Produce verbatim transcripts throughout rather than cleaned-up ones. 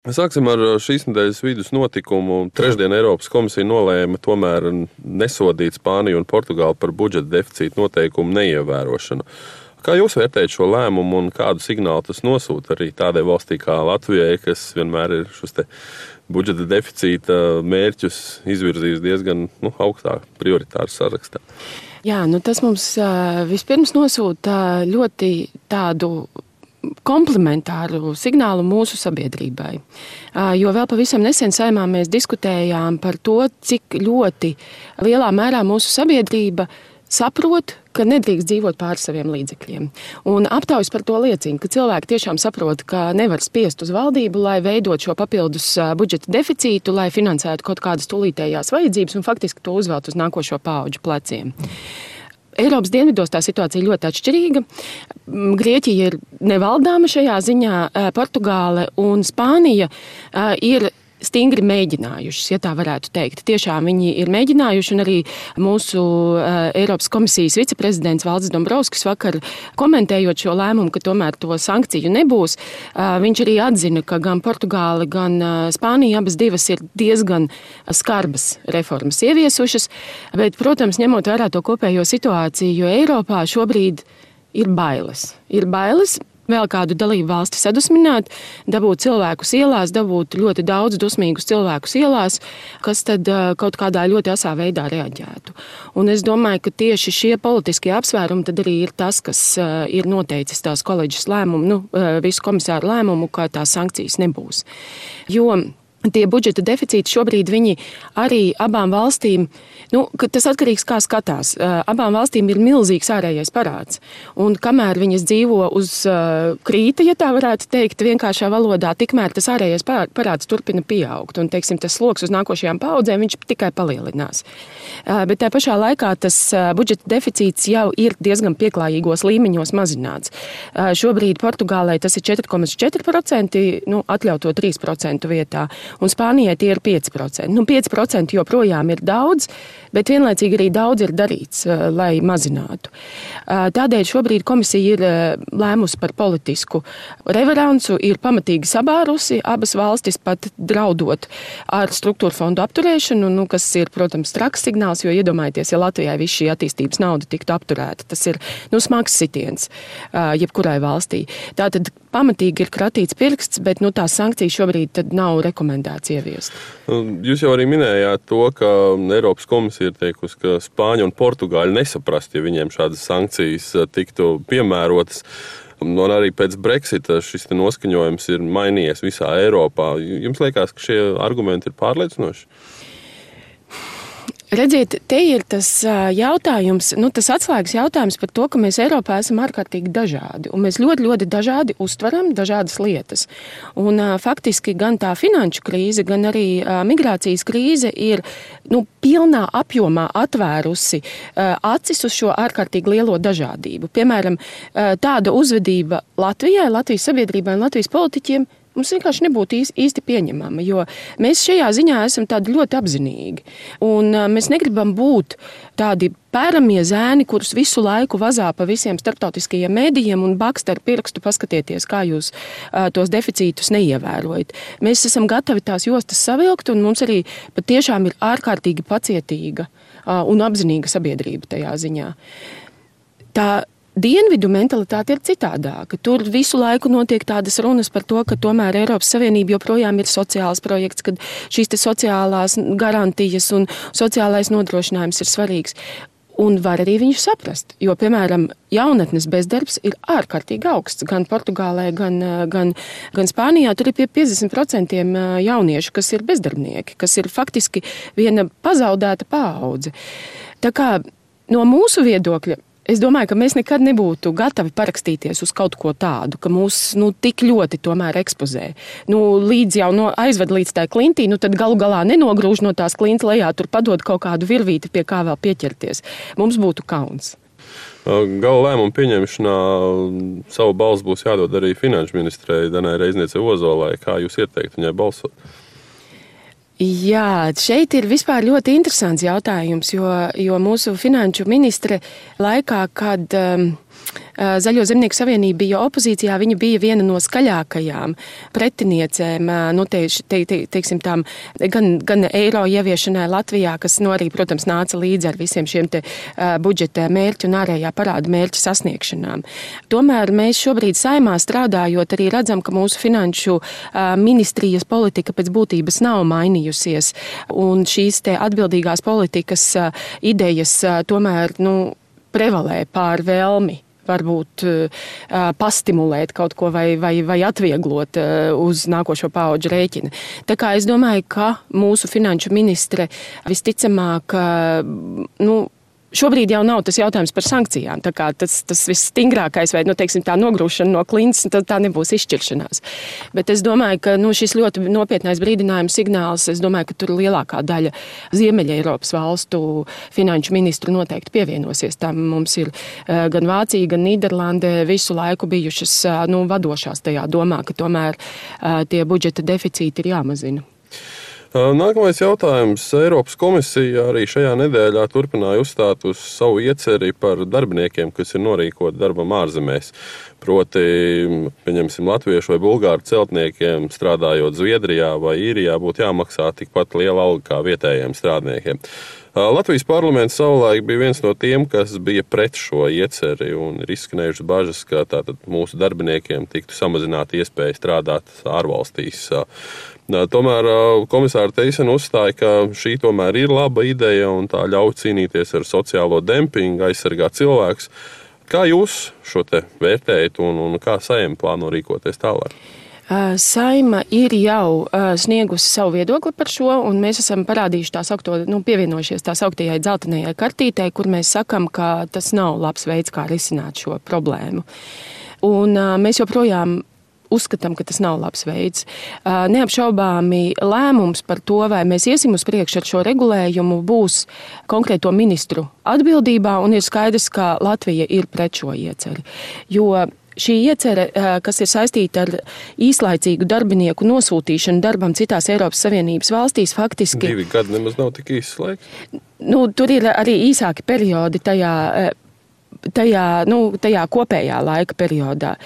Sāksim ar šīs nedēļas vidus notikumu. Trešdien Eiropas komisija nolēma tomēr nesodīt Spāniju un Portugāli par budžeta deficīta noteikumu neievērošanu. Kā jūs vērtējat šo lēmumu un kādu signālu tas nosūta arī tādai valstī kā Latvijai, kas vienmēr ir šos te budžeta deficīta mērķus izvirzījis diezgan nu, augstā prioritāru sarakstā? Jā, nu tas mums uh, vispirms nosūta ļoti tādu komplementāru signālu mūsu sabiedrībai. Jo vēl pavisam nesen Saeimā mēs diskutējām par to, cik ļoti lielā mērā mūsu sabiedrība saprot, ka nedrīkst dzīvot pāri saviem līdzekļiem. Un aptaujas par to liecina, ka cilvēki tiešām saprot, ka nevar spiest uz valdību, lai veidot šo papildus budžeta deficītu, lai finansētu kaut kādas tūlītējās vajadzības un faktiski to uzvelt uz nākošo paudžu pleciem. Eiropas dienvidos tā situācija ļoti atšķirīga. Grieķija ir nevaldāma šajā ziņā, Portugāle un Spānija ir stingri mēģinājušas, ja tā varētu teikt. Tiešām viņi ir mēģinājuši, un arī mūsu Eiropas komisijas viceprezidents Valdis Dombrovskis vakar komentējot šo lēmumu, ka tomēr to sankciju nebūs, viņš arī atzina, ka gan Portugāle, gan Spānija abas divas ir diezgan skarbas reformas ieviesušas, bet, protams, ņemot vērā to kopējo situāciju, jo Eiropā šobrīd ir bailes. Ir bailes vēl kādu dalību valsti sadusmināt, dabūt cilvēkus ielās, dabūt ļoti daudz dusmīgus cilvēkus ielās, kas tad kaut kādā ļoti asā veidā reaģētu. Un es domāju, ka tieši šie politiskie apsvērumi tad arī ir tas, kas ir noteicis tās koledžas lēmumu, nu, visu komisāru lēmumu, ka tās sankcijas nebūs. Jo tie budžeta deficīti šobrīd viņi arī abām valstīm, nu, tas atkarīgs kā skatās, abām valstīm ir milzīgs ārējais parāds. Un kamēr viņas dzīvo uz krīta, ja tā varētu teikt, vienkāršā valodā, tikmēr tas ārējais parāds turpina pieaugt. Un, teiksim, tas sloks uz nākošajām paudzēm, viņš tikai palielinās. Bet tā pašā laikā tas budžeta deficīts jau ir diezgan pieklājīgos līmeņos mazināts. Šobrīd Portugālei tas ir četri komats četri procenti, nu, atļauto trīs procentu vietā. Un Spānijai tie ir pieci procenti. Nu, pieci procenti joprojām ir daudz, bet vienlaicīgi arī daudz ir darīts, lai mazinātu. Tādēļ šobrīd komisija ir lēmusi par politisku reveransu, ir pamatīgi sabārusi abas valstis pat draudot ar struktūra fondu apturēšanu, nu, kas ir, protams, traks signāls, jo iedomājieties, ja Latvijai viss šī attīstības nauda tiktu apturēta, tas ir, nu, smags sitiens jebkurai valstī. Tātad pamatīgi ir kratīts pirksts, bet, nu, tās sankcijas šobrīd tad nav rekomendēts ieviest. Jūs jau arī minējāt to, ka Eiropas komisija ir teikusi, ka Spāņi un Portugāļi nesaprast, ja viņiem šādas sankcijas tiktu piemērotas. Un arī pēc Brexita šis noskaņojums ir mainījies visā Eiropā. Jums liekas, ka šie argumenti ir pārliecinoši? Redziet, te ir tas jautājums, nu, tas atslēgas jautājums par to, ka mēs Eiropā esam ārkārtīgi dažādi. Un mēs ļoti, ļoti dažādi uztveram dažādas lietas. Un faktiski gan tā finanšu krīze, gan arī migrācijas krīze ir, nu, pilnā apjomā atvērusi acis uz šo ārkārtīgi lielo dažādību. Piemēram, tāda uzvedība Latvijai, Latvijas sabiedrībai un Latvijas politiķiem mums vienkārši nebūtu īsti pieņemama, jo mēs šajā ziņā esam tādi ļoti apzinīgi. Un mēs negribam būt tādi pēramie zēni, kurus visu laiku vazā pa visiem starptautiskajiem mēdījiem un bakst ar pirkstu, paskatieties, kā jūs tos deficītus neievērojat. Mēs esam gatavi tās jostas savilkt, un mums arī patiešām ir ārkārtīgi pacietīga un apzinīga sabiedrība tajā ziņā. Tā Dienvidu mentalitāte ir citādāka. Tur visu laiku notiek tādas runas par to, ka tomēr Eiropas Savienība joprojām ir sociāls projekts, kad šīs te sociālās garantijas un sociālais nodrošinājums ir svarīgs. Un var arī viņu saprast, jo, piemēram, jaunatnes bezdarbs ir ārkārtīgi augsts. Gan Portugālē, gan, gan, gan Spānijā tur ir pie piecdesmit procenti jauniešu, kas ir bezdarbnieki, kas ir faktiski viena pazaudēta paudze. Tā kā no mūsu viedokļa, es domāju, ka mēs nekad nebūtu gatavi parakstīties uz kaut ko tādu, ka mūs, nu, tik ļoti tomēr ekspozē. Nu, līdz jau no, aizved līdz tā klintī, nu, tad galu galā nenogrūž no tās klinta lejā, tur padod kaut kādu virvīti, pie kā vēl pieķerties. Mums būtu kauns. Gala lēmumu pieņemšanā savu balsu būs jādod arī finanšu ministrei Danai Reizniecei Ozolai. Kā jūs ieteiktu viņai balsot? Jā, šeit ir vispār ļoti interesants jautājums, jo, jo mūsu finanšu ministre laikā, kad um, Zaļo zemnieku savienība bija opozīcijā, viņa bija viena no skaļākajām pretiniecēm, nu, te, te, te, teiksim tām, gan, gan eiro ieviešanai Latvijā, kas, nu, arī, protams, nāca līdzi ar visiem šiem te budžeta mērķu un ārējā parāda mērķu sasniegšanām. Tomēr mēs šobrīd Saeimā strādājot arī redzam, ka mūsu finanšu ministrijas politika pēc būtības nav mainījusies, un šīs te atbildīgās politikas idejas tomēr, nu, prevalē pār vēlmi varbūt pastimulēt kaut ko vai, vai, vai atvieglot uz nākošo paudžu rēķina. Tā kā es domāju, ka mūsu finanšu ministre visticamāk, nu, šobrīd jau nav tas jautājums par sankcijām. Tā kā tas, tas visstingrākais vai, nu, teiksim, tā nogrūšana no klints, tad tā nebūs izšķiršanās. Bet es domāju, ka, nu, šis ļoti nopietnais brīdinājums signāls, es domāju, ka tur lielākā daļa Ziemeļa Eiropas valstu finanšu ministru noteikti pievienosies. Tam mums ir gan Vācija, gan Nīderlande visu laiku bijušas, nu, vadošās tajā domā, ka tomēr tie budžeta deficīti ir jāmazina. Nākamais jautājums. Eiropas komisija arī šajā nedēļā turpināja uzstāt uz savu ieceri par darbiniekiem, kas ir norīkoti darbam ārzemēs. Proti, pieņemsim, latviešu vai bulgāru celtniekiem strādājot Zviedrijā vai Īrijā būtu jāmaksā tikpat liela alga kā vietējiem strādniekiem. Latvijas parlaments savulaik bija viens no tiem, kas bija pret šo ieceri un ir izskanējušas bažas, ka tātad mūsu darbiniekiem tiktu samazināt iespēju strādāt ārvalstīs. Tomēr komisāra Teisena uzstāja, ka šī tomēr ir laba ideja un tā ļauj cīnīties ar sociālo dempingu, aizsargāt cilvēkus. Kā jūs šo te vērtējat un, un kā Saeima plāno rīkoties tālāk? Saeima ir jau sniegusi savu viedokli par šo, un mēs esam parādījuši tā saukto, nu, pievienojušies tā sauktajai dzeltenajai kartītei, kur mēs sakam, ka tas nav labs veids, kā risināt šo problēmu. Un mēs joprojām uzskatām, ka tas nav labs veids. Neapšaubāmi lēmums par to, vai mēs iesim uz priekšu ar šo regulējumu, būs konkrēto ministru atbildībā, un ir skaidrs, ka Latvija ir pret šo ieceri. Jo šī iecere, kas ir saistīta ar īslaicīgu darbinieku nosūtīšanu darbam citās Eiropas Savienības valstīs, faktiski... Divi gadi nemaz nav tik īsts laiks. Nu, tur ir arī īsāki periodi tajā, tajā, nu, tajā kopējā laika periodā.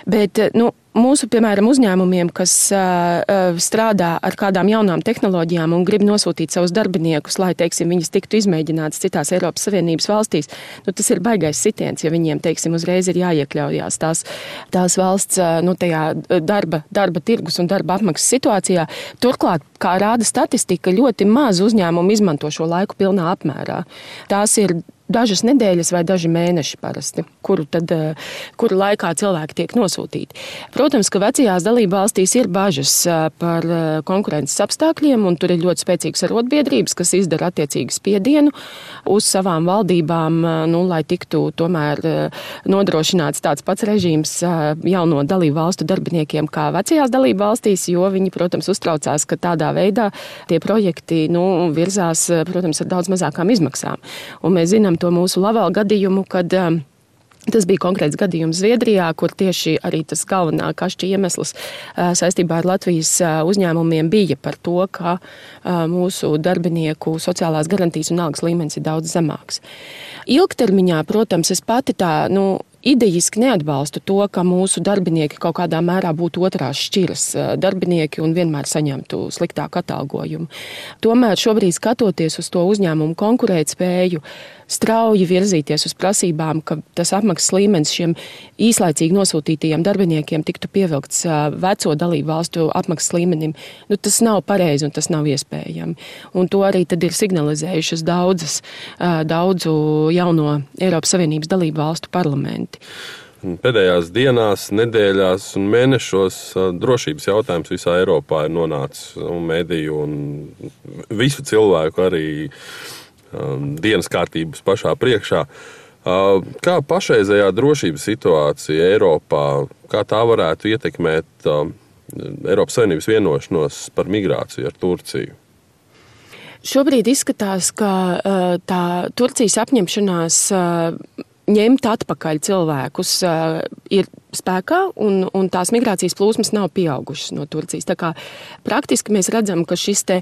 Bet, nu, mūsu, piemēram, uzņēmumiem, kas uh, strādā ar kādām jaunām tehnoloģijām un grib nosūtīt savus darbiniekus, lai, teiksim, viņas tiktu izmēģinātas citās Eiropas Savienības valstīs, nu, tas ir baigais sitiens, ja viņiem, teiksim, uzreiz ir jāiekļaujās tās, tās valsts, nu, tajā darba, darba tirgus un darba apmaksas situācijā. Turklāt, kā rāda statistika, ļoti maz uzņēmumu izmanto šo laiku pilnā apmērā. Tās ir dažas nedēļas vai daži mēneši parasti, kuru, tad, kuru laikā cilvēki tiek nosūtīti. Protams, ka vecajās dalību valstīs ir bažas par konkurences apstākļiem, un tur ir ļoti spēcīgas arotbiedrības, kas izdara attiecīgi spiedienu uz savām valdībām, nu, lai tiktu tomēr nodrošināts tāds pats režīms jauno dalību valstu darbiniekiem kā vecajās dalību valstīs, jo viņi, protams, uztraucās, ka tādā veidā tie projekti, nu, virzās, protams, ar daudz mazākām izmaksām. Un mēs zinām to mūsu Laval gadījumu, kad um, tas bija konkrēts gadījums Zviedrijā, kur tieši arī tas galvenā kašķa iemesls uh, saistībā ar Latvijas uh, uzņēmumiem bija par to, ka uh, mūsu darbinieku sociālās garantijas un algas līmenis ir daudz zemāks. Ilgtermiņā, protams, es pati tā, nu, idejiski neatbalstu to, ka mūsu darbinieki kaut kādā mērā būtu otrās šķiras darbinieki un vienmēr saņemtu sliktāku atalgojumu. Tomēr šobrīd skatoties uz to uzņēmumu konkurētspēju, strauji virzīties uz prasībām, ka tas apmaksas līmenis šiem īslaicīgi nosūtītajiem darbiniekiem tiktu pievilkts veco dalību valstu apmaksas līmenim, nu, tas nav pareizi un tas nav iespējami. Un to arī tad ir signalizējušas daudzas, daudzu jauno Eiropas Savienības dalību valstu parlamenti. Pēdējās dienās, nedēļās un mēnešos drošības jautājums visā Eiropā ir nonācis un mediju un visu cilvēku arī um, dienas kārtības pašā priekšā. Uh, kā pašreizējā drošības situācija Eiropā, kā tā varētu ietekmēt uh, Eiropas Savienības vienošanos par migrāciju ar Turciju? Šobrīd izskatās, ka uh, tā Turcijas apņemšanās uh, ņemt atpakaļ cilvēkus ir spēkā, un, un tās migrācijas plūsmas nav pieaugušas no Turcijas. Tā kā praktiski mēs redzam, ka šis te,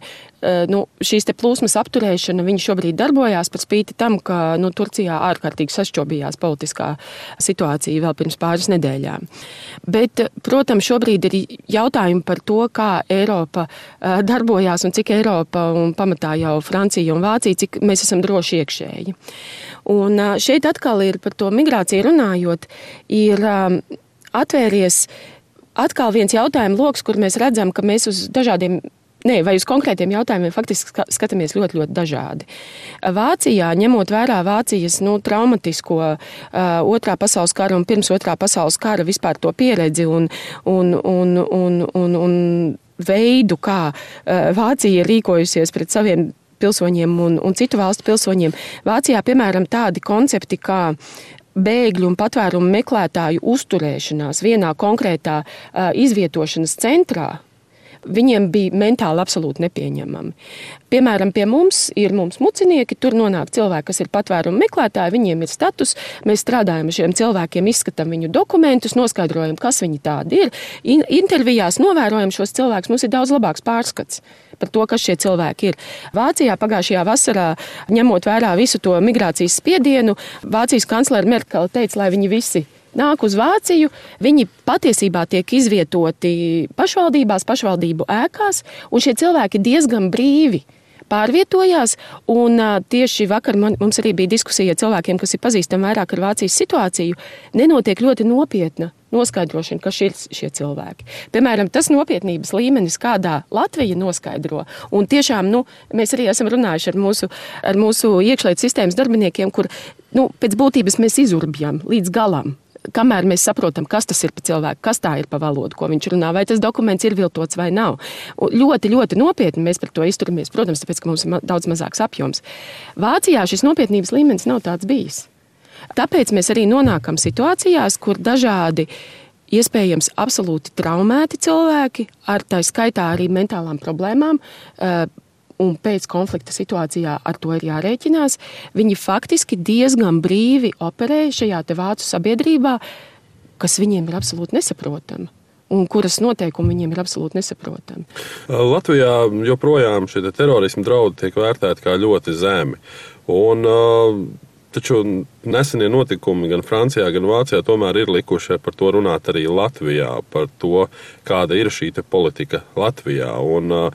nu, šīs te plūsmas apturēšana viņa šobrīd darbojās par spīti tam, ka nu, Turcijā ārkārtīgi sašķobījās politiskā situācija vēl pirms pāris nedēļām. Bet, protams, šobrīd ir jautājumi par to, kā Eiropa darbojās un cik Eiropa un pamatā jau Francija un Vācija, cik mēs esam droši iekšēji. Un šeit atkal ir par to migrāciju runājot, ir atvēries atkal viens jautājuma loks, kur mēs redzam, ka mēs uz dažādiem, ne, vai uz konkrētiem jautājumiem faktiski skatāmies ļoti, ļoti dažādi. Vācijā, ņemot vērā Vācijas nu, traumatisko uh, otrā pasaules kara un pirms otrā pasaules kara vispār to pieredzi un, un, un, un, un, un veidu, kā uh, Vācija ir rīkojusies pret saviem pilsoņiem un, un citu valstu pilsoņiem. Vācijā, piemēram, tādi koncepti kā bēgļu un patvērumu meklētāju uzturēšanās vienā konkrētā uh, izvietošanas centrā, viņiem bija mentāli absolūti nepieņemami. Piemēram, pie mums ir mums mucinieki, tur nonāk cilvēki, kas ir patvērumu meklētāji, viņiem ir status, mēs strādājam ar šiem cilvēkiem, izskatām viņu dokumentus, noskaidrojam, kas viņi tādi ir. In- intervijās novērojam šos cilvēkus, mums ir daudz labāks pārskats par to, kas šie cilvēki ir. Vācijā pagājušajā vasarā, ņemot vērā visu to migrācijas spiedienu, Vācijas kanclere Merkele teica, lai viņi visi nāk uz Vāciju, viņi patiesībā tiek izvietoti pašvaldībās, pašvaldību ēkās, un šie cilvēki diezgan brīvi pārvietojās, un tieši vakar man, mums arī bija diskusija ar cilvēkiem, kas ir pazīstami vairāk ar Vācijas situāciju, nenotiek ļoti nopietna noskaidrošana, kas ir šie cilvēki. Piemēram, tas nopietnības līmenis, kādā Latvija noskaidro, un tiešām, nu, mēs arī esam runājuši ar mūsu, ar mūsu iekšlietu sistēmas darbiniekiem, kur, nu, pēc būtības mēs izurbjam līdz galam. Kamēr mēs saprotam, kas tas ir pa cilvēku, kas tā ir pa valodu, ko viņš runā, vai tas dokuments ir viltots vai nav. Un ļoti, ļoti nopietni mēs par to izturamies, protams, tāpēc, ka mums ir daudz mazāks apjoms. Vācijā šis nopietnības līmenis nav tāds bijis. Tāpēc mēs arī nonākam situācijās, kur dažādi iespējams absolūti traumēti cilvēki ar tā skaitā arī mentālām problēmām, un pēc konflikta situācijā ar to ir jārēķinās, viņi faktiski diezgan brīvi operē šajā te vācu sabiedrībā, kas viņiem ir absolūti nesaprotama. Un kuras noteikumi viņiem ir absolūti nesaprotami. Latvijā joprojām šie terorismu draudi tiek vērtēti kā ļoti zemi. Un, taču nesenie notikumi gan Francijā, gan Vācijā tomēr ir likuši par to runāt arī Latvijā, par to, kāda ir šī te politika Latvijā. Un,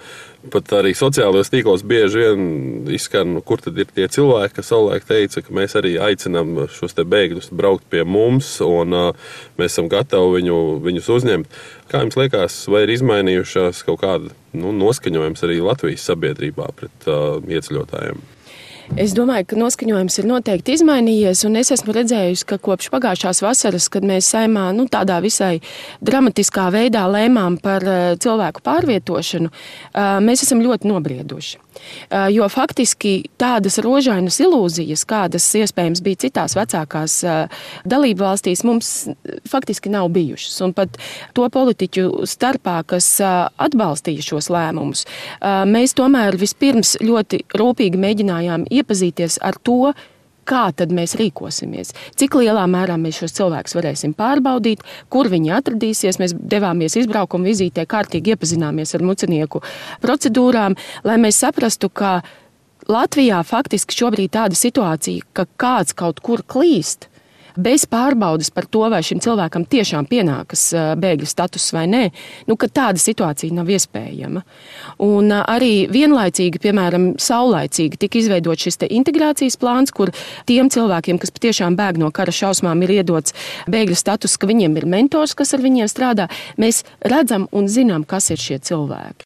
pat arī sociālajos tīklos bieži vien izskan, kur tad ir tie cilvēki, kas savulaik teica, ka mēs arī aicinām šos te bēgļus braukt pie mums un uh, mēs esam gatavi viņu, viņus uzņemt. Kā jums liekas, vai ir izmainījušās kaut kāda nu, noskaņojums arī Latvijas sabiedrībā pret uh, ieceļotājiem? Es domāju, ka noskaņojums ir noteikti izmainījies, un es esmu redzējusi, ka kopš pagājušās vasaras, kad mēs Saeimā nu, tādā visai dramatiskā veidā lēmām par cilvēku pārvietošanu, mēs esam ļoti nobrieduši. Jo faktiski tādas rožainas ilūzijas, kādas iespējams bija citās vecākās dalību valstīs, mums faktiski nav bijušas. Un pat to politiķu starpā, kas atbalstīja šos lēmumus, mēs tomēr vispirms ļoti rūpīgi mēģinājām iepazīties ar to, kā tad mēs rīkosimies, cik lielā mērā mēs šos cilvēkus varēsim pārbaudīt, kur viņi atradīsies. Mēs devāmies izbraukumu vizītē, kārtīgi iepazināmies ar mucinieku procedūrām, lai mēs saprastu, ka Latvijā faktiski šobrīd tāda situācija, ka kāds kaut kur klīst, bez pārbaudes par to, vai šim cilvēkam tiešām pienākas bēgļu status vai nē, nu, ka tāda situācija nav iespējama. Un arī vienlaicīgi, piemēram, saulaicīgi tika izveidot šis te integrācijas plāns, kur tiem cilvēkiem, kas patiešām bēg no kara šausmām, ir iedots bēgļu status, ka viņiem ir mentors, kas ar viņiem strādā. Mēs redzam un zinām, kas ir šie cilvēki.